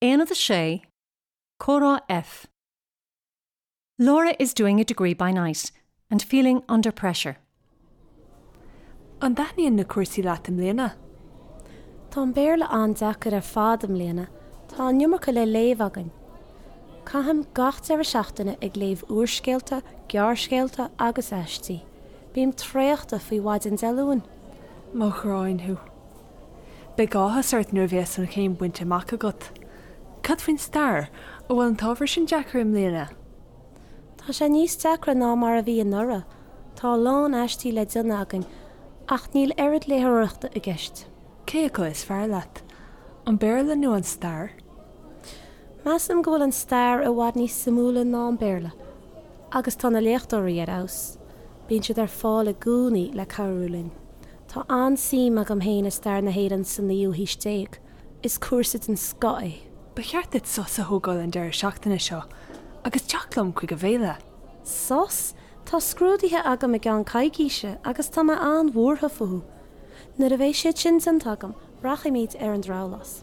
Aonad 6, Comhrá F. Laura is doing a degree by night and feeling under pressure. An dtaitníonn na cúrsaí leat i mbliana? Tá an Béarla an-deacair ar fad i mbliana, tá an iomarca le léamh againn. Caithim gach deireadh seachtaine ag léamh úrscéalta, gearrscéalta agus aistí. Bím traochta faoi mhaidin Dé Luain. Mo ghráin thú. Beidh áthas ort nuair a bheas an chéim bainte amach agat. Cad faoin stair? An bhfuil an t-ábhar sin deacair i mbliana? Tá sé níos deacra ná mar a bhí anuraidh. Tá a lán aistí le déanamh againn ach níl oiread léitheoireachta i gceist. Cé acu is fearr leat? An Béarla nó an stair? Measaim go bhfuil an stair i bhfad níos suimiúla ná an Béarla. Agus tá na léachtóirí ar fheabhas. Bíonn siad ar fáil i gcónaí le cabhrú linn. Tá an-suim agam féin i stair na hÉireann sa naoú haois déag. Is cúrsa den scoth é. Ba cheart duit sos a thógáil an deireadh seachtaine seo agus teacht liom chuig an bhféile. Sos? Tá scrúduithe agam i gceann coicíse agus tá mé an-bhuartha fúthu. Nuair a bheidh siad sin déanta agam, rachaimid ar an drabhlás.